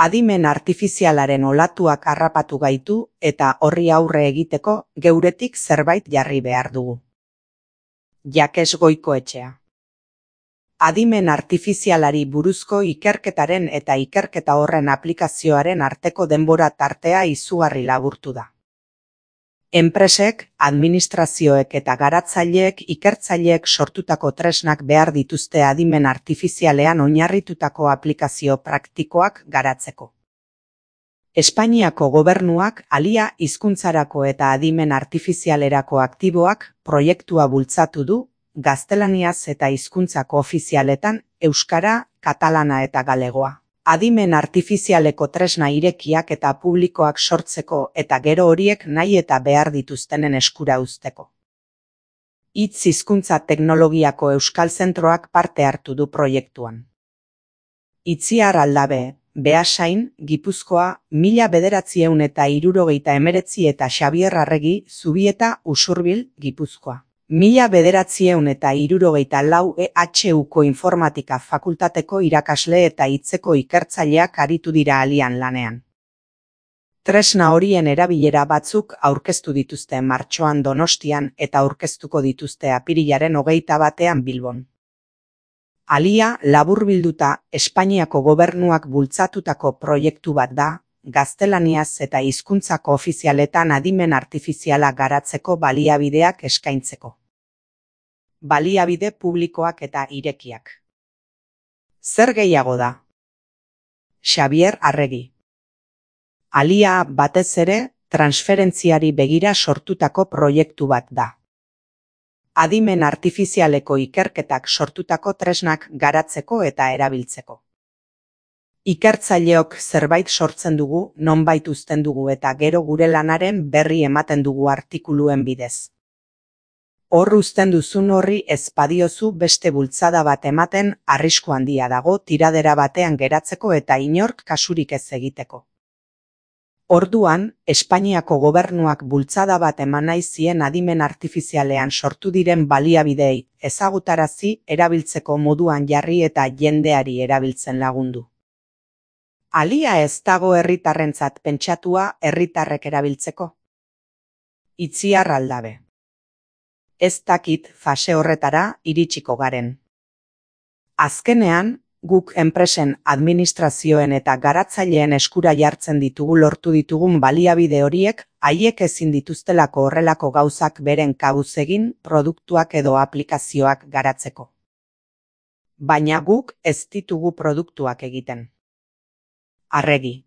Adimen artifizialaren olatuak harrapatu gaitu eta horri aurre egiteko geuretik zerbait jarri behar dugu. Jakes Goikoetxea. Adimen artifizialari buruzko ikerketaren eta ikerketa horren aplikazioaren arteko denbora tartea izugarri laburtu da. Enpresek, administrazioek eta garatzaileek ikertzaileek sortutako tresnak behar dituzte adimen artifizialean oinarritutako aplikazio praktikoak garatzeko. Espainiako gobernuak ALIA hizkuntzarako eta adimen artifizialerako aktiboak proiektua bultzatu du, gaztelaniaz eta hizkuntzako ofizialetan euskara, katalana eta galegoa. Adimen artifizialeko tresna irekiak eta publikoak sortzeko eta gero horiek nahi eta behar dituztenen eskura uzteko. Hitz hizkuntza teknologiako Euskal Zentroak parte hartu du proiektuan. Itziar Aldabe, Beasain, Gipuzkoa, 1979 eta Xabier Arregi, Zubieta, Usurbil, Gipuzkoa. 1974 EHUko informatika fakultateko irakasle eta hitzeko ikertzaileak aritu dira ALIAN lanean. Tresna horien erabilera batzuk aurkeztu dituzte martxoan Donostian eta aurkeztuko dituzte apirilaren 21 Bilbon. ALIA laburbilduta Espainiako gobernuak bultzatutako proiektu bat da, gaztelaniaz eta hizkuntzako ofizialetan adimen artifiziala garatzeko baliabideak eskaintzeko. Baliabide publikoak eta irekiak. Zer gehiago da? Xabier Arregi. ALIA batez ere transferentziari begira sortutako proiektu bat da. Adimen artifizialeko ikerketak sortutako tresnak garatzeko eta erabiltzeko. Ikertzaileok zerbait sortzen dugu, nonbait uzten dugu eta gero gure lanaren berri ematen dugu artikuluen bidez. Hor uzten duzun horri ez badiozu beste bultzada bat ematen arrisku handia dago tiradera batean geratzeko eta inork kasurik ez egiteko. Orduan, Espainiako gobernuak bultzada bat eman nahi zien adimen artifizialean sortu diren baliabidei ezagutarazi erabiltzeko moduan jarri eta jendeari erabiltzen lagundu. ALIA ez dago herritarrentzat pentsatua herritarrek erabiltzeko? Itziar Aldabe. Ez dakit fase horretara iritsiko garen. Azkenean, guk enpresen, administrazioen eta garatzaileen eskura jartzen ditugu lortu ditugun baliabide horiek, haiek ezin dituztelako horrelako gauzak beren kabuz egin produktuak edo aplikazioak garatzeko. Baina guk ez ditugu produktuak egiten. Arregi.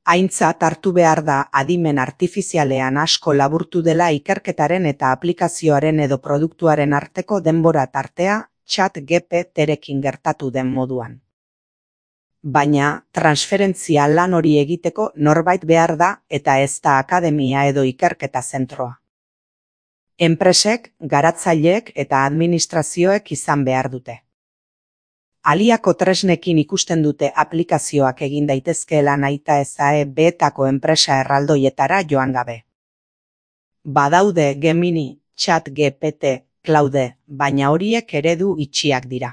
Aintzat hartu behar da adimen artifizialean asko laburtu dela ikerketaren eta aplikazioaren edo produktuaren arteko denbora tartea ChatGPT-rekin gertatu den moduan. Baina transferentzia lan hori egiteko norbait behar da eta ez da akademia edo ikerketa zentroa. Enpresek, garatzaileek eta administrazioek izan behar dute. ALIAko tresnekin ikusten dute aplikazioak egin daitezkeela nahita ezae beetako enpresa erraldoietara joan gabe. Badaude Gemini, ChatGPT, Claude, baina horiek eredu itxiak dira.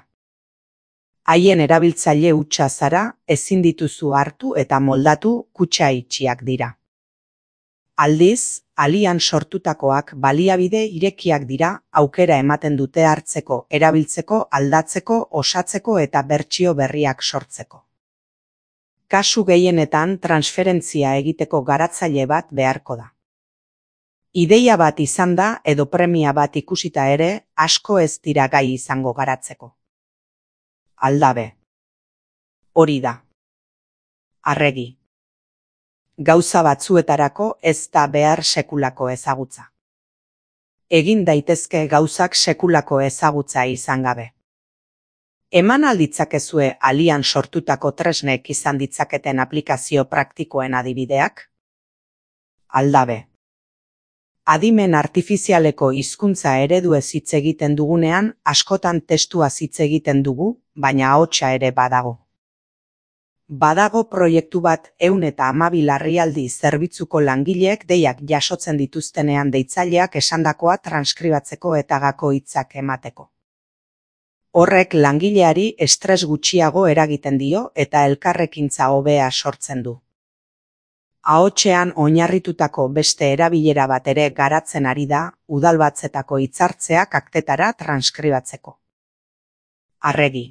Haien erabiltzaile hutsa zara, ezin dituzu hartu eta moldatu kutxa itxiak dira. Aldiz, ALIAN sortutakoak baliabide irekiak dira, aukera ematen dute hartzeko, erabiltzeko, aldatzeko, osatzeko eta bertsio berriak sortzeko. Kasu gehienetan transferentzia egiteko garatzaile bat beharko da. Ideia bat izan da edo premia bat ikusita ere, asko ez dira gai izango garatzeko. Aldabe. Hori da. Arregi. Gauza batzuetarako ez da behar sekulako ezagutza. Egin daitezke gauzak sekulako ezagutza izan gabe. Eman alditzakezue ALIAN sortutako tresnek izan ditzaketen aplikazio praktikoen adibideak? Aldabe. Adimen artifizialeko hizkuntza ereduez hitz egiten dugunean, askotan testuaz hitz egiten dugu, baina ahotsa ere badago. Badago proiektu bat 112 larrialdi zerbitzuko langileek deiak jasotzen dituztenean deitzaileak esandakoa transkribatzeko eta gako hitzak emateko. Horrek langileari estres gutxiago eragiten dio eta elkarrekintza hobea sortzen du. Ahotsean oinarritutako beste erabilera bat ere garatzen ari da udalbatzetako hitzartzeak aktetara transkribatzeko. Arregi.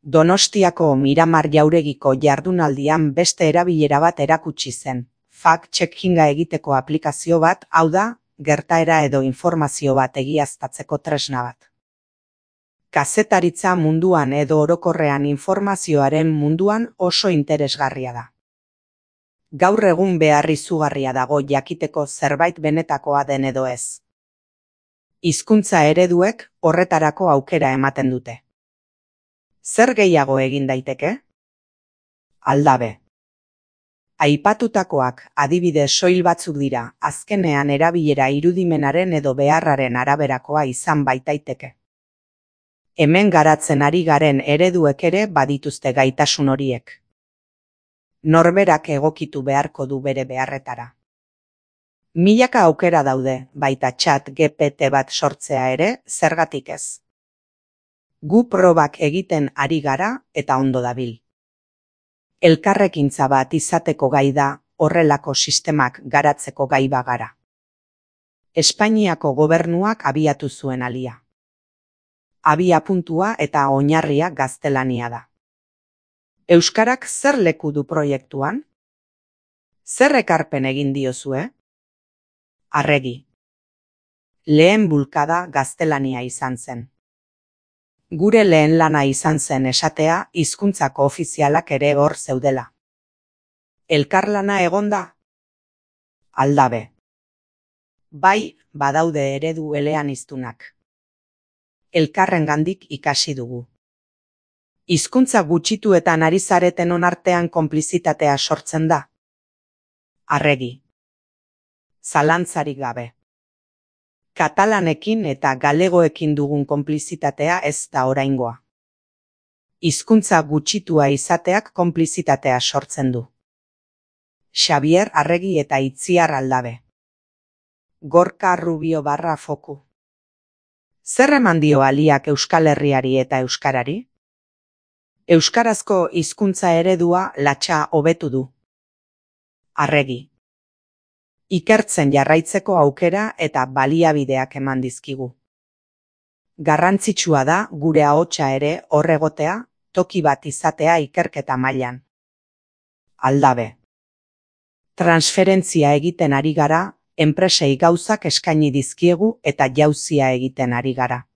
Donostiako Miramar Jauregiko jardunaldian beste erabilera bat erakutsi zen. Fact-checkinga egiteko aplikazio bat, hau da, gertaera edo informazio bat egiaztatzeko tresna bat. Kazetaritza munduan edo orokorrean informazioaren munduan oso interesgarria da. Gaur egun behar izugarria dago jakiteko zerbait benetakoa den edo ez. Hizkuntza ereduek horretarako aukera ematen dute. Zer gehiago egin daiteke? Aldabe. Aipatutakoak adibide soil batzuk dira, azkenean erabilera irudimenaren edo beharraren araberakoa izan baitaiteke. Hemen garatzen ari garen ereduek ere badituzte gaitasun horiek. Norberak egokitu beharko du bere beharretara. Milaka aukera daude, baita ChatGPT bat sortzea ere, zergatik ez. Gu probak egiten ari gara eta ondo dabil. Elkarrekintza bat izateko gai da, horrelako sistemak garatzeko gai bagara. Espainiako gobernuak abiatu zuen alia. Abia-puntua eta oinarria gaztelania da. Euskarak zer leku du proiektuan? Zer ekarpen egin diozue? Arregi. Lehen bulkada gaztelania izan zen. Gure lehen lana izan zen esatea hizkuntzako ofizialak ere hor zeudela. Elkarlana egonda? Aldabe. Bai, badaude eredu eleaniztunak. Elkarrengandik ikasi dugu. Hizkuntza gutxituetan ari zareten onartean konplizitatea sortzen da. Arregi. Zalantzarik gabe. Katalanekin eta galegoekin dugun konplizitatea ez da oraingoa. Hizkuntza gutxitua izateak konplizitatea sortzen du. Xabier Arregi eta Itziar Aldabe. Gorka Rubio /Foku. Zer eman dio aliak Euskal Herriari eta euskarari? Euskarazko hizkuntza eredua latxa hobetu du. Arregi. Ikertzen jarraitzeko aukera eta baliabideak eman dizkigu. Garrantzitsua da gure ahotsa ere hor egotea, toki bat izatea ikerketa mailan. Aldabe. Transferentzia egiten ari gara, enpresei gauzak eskaini dizkiegu eta jauzia egiten ari gara.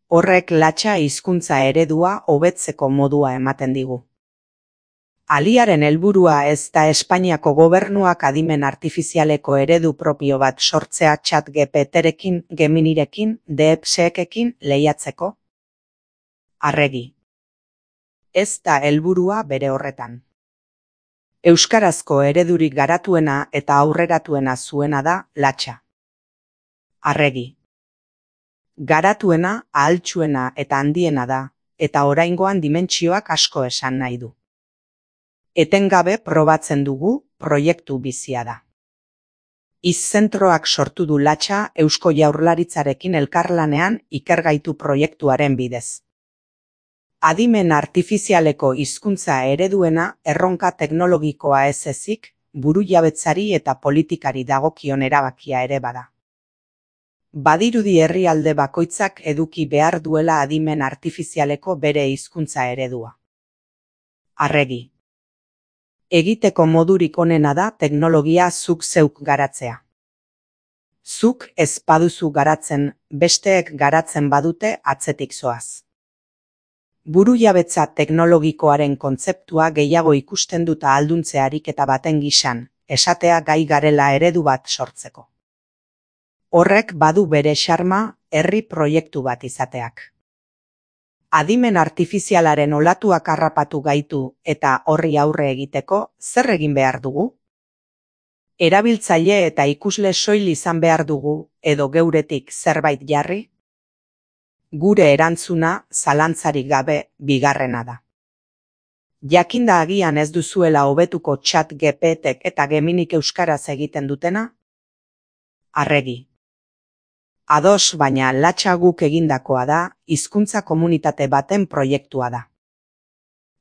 Horrek latxa hizkuntza eredua hobetzeko modua ematen digu. Aliaren helburua ez da Espainiako gobernuak adimen artifizialeko eredu propio bat sortzea ChatGPTrekin, Geminirekin, DeepSeekekin lehiatzeko? Arregi. Ez da helburua bere horretan. Euskarazko eredurik garatuena eta aurreratuena zuena da latxa. Arregi. Garatuena, ahaltsuena eta handiena da, eta oraingoan dimentsioak asko esan nahi du. Etengabe probatzen dugu, proiektu bizia da. Izzentroak sortu du latxa Eusko Jaurlaritzarekin elkarlanean ikergaitu proiektuaren bidez. Adimen artifizialeko hizkuntza ereduena erronka teknologikoa ez ezik, burujabetzari eta politikari dagokion erabakia ere bada. Badirudi herrialde bakoitzak eduki behar duela adimen artifizialeko bere hizkuntza eredua. Arregi. Egiteko modurik onena da teknologia zuk zeuk garatzea. Zuk ez baduzu garatzen, besteek garatzen badute atzetik zoaz. Burujabetza teknologikoaren kontzeptua gehiago ikusten dut ahalduntze ariketa baten gisan, esatea gai garela eredu bat sortzeko. Horrek badu bere xarma herri proiektu bat izateak. Adimen artifizialaren olatuak harrapatu gaitu eta horri aurre egiteko zer egin behar dugu? Erabiltzaile eta ikusle soil izan behar dugu edo geuretik zerbait jarri? Gure erantzuna zalantzarik gabe bigarrena da. Jakinda agian ez duzuela hobetuko ChatGPTek eta Geminik euskaraz egiten dutena? Arregi. Ados, baina latxa guk egindakoa da, hizkuntza komunitate baten proiektua da.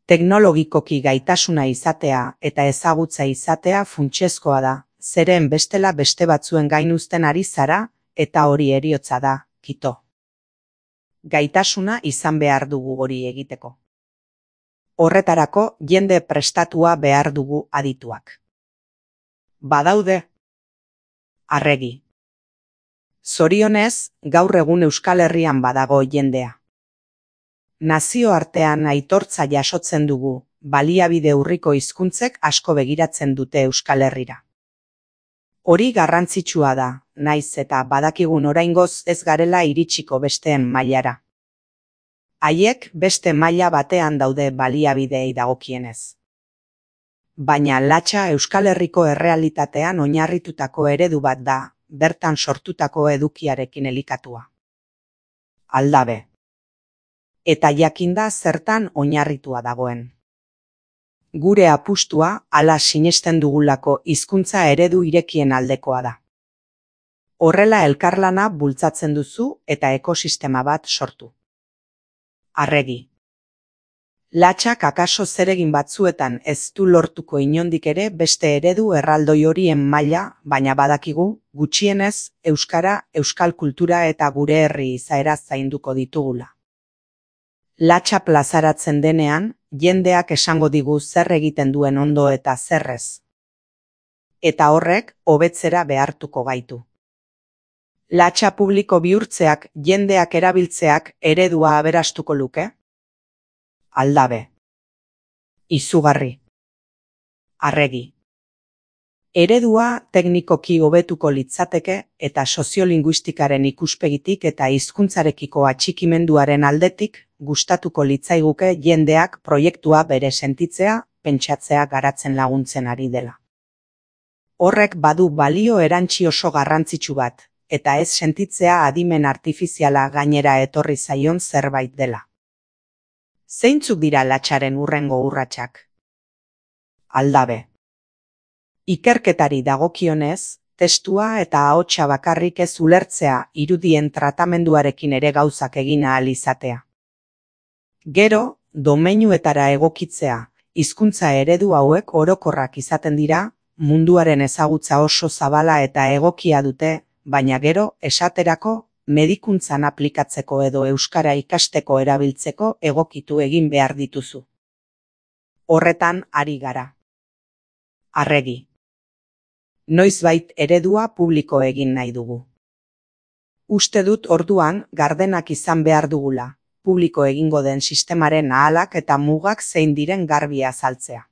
Teknologikoki gaitasuna izatea eta ezagutza izatea funtsezkoa da, zeren bestela beste batzuen gain uzten ari zara, eta hori heriotza da, kito. Gaitasuna izan behar dugu hori egiteko. Horretarako jende prestatua behar dugu adituak. Badaude? Arregi. Zorionez, gaur egun Euskal Herrian badago jendea. Nazioartean aitortza jasotzen dugu, baliabide urriko hizkuntzek asko begiratzen dute Euskal Herrira. Hori garrantzitsua da, naiz eta badakigun oraingoz ez garela iritsiko besteen mailara. Haiek beste maila batean daude baliabideei dagokienez. Baina latxa Euskal Herriko errealitatean oinarritutako eredu bat da, bertan sortutako edukiarekin elikatua. Aldabe. Eta jakinda zertan oinarritua dagoen. Gure apustua hala sinesten dugulako hizkuntza eredu irekien aldekoa da. Horrela elkarlana bultzatzen duzu eta ekosistema bat sortu. Arregi. Latxak akaso zeregin batzuetan ez du lortuko inondik ere beste eredu erraldoi horien maila, baina badakigu, gutxienez, euskara, euskal kultura eta gure herri izaera zainduko ditugula. Latxa plazaratzen denean, jendeak esango digu zer egiten duen ondo eta zerrez. Eta horrek, hobetzera behartuko gaitu. Latxa publiko bihurtzeak, jendeak erabiltzeak eredua aberastuko luke? Aldabe. Izugarri. Arregi. Eredua teknikoki hobetuko litzateke eta soziolinguistikaren ikuspegitik eta hizkuntzarekiko atxikimenduaren aldetik gustatuko litzaiguke jendeak proiektua bere sentitzea, pentsatzea garatzen laguntzen ari dela. Horrek badu balio erantsi oso garrantzitsu bat, eta ez sentitzea adimen artifiziala gainera etorri zaion zerbait dela. Zeintzuk dira latxaren hurrengo urratsak? Aldabe. Ikerketari dagokionez, testua eta ahotsa bakarrik ez ulertzea irudien tratamenduarekin ere gauzak egin ahal izatea. Gero, domeinuetara egokitzea, hizkuntza eredu hauek orokorrak izaten dira, munduaren ezagutza oso zabala eta egokia dute, baina gero, esaterako, medikuntzan aplikatzeko edo euskara ikasteko erabiltzeko egokitu egin behar dituzu. Horretan ari gara. Arregi. Noizbait eredua publiko egin nahi dugu. Uste dut orduan gardenak izan behar dugula, publiko egingo den sistemaren ahalak eta mugak zein diren garbi azaltzea.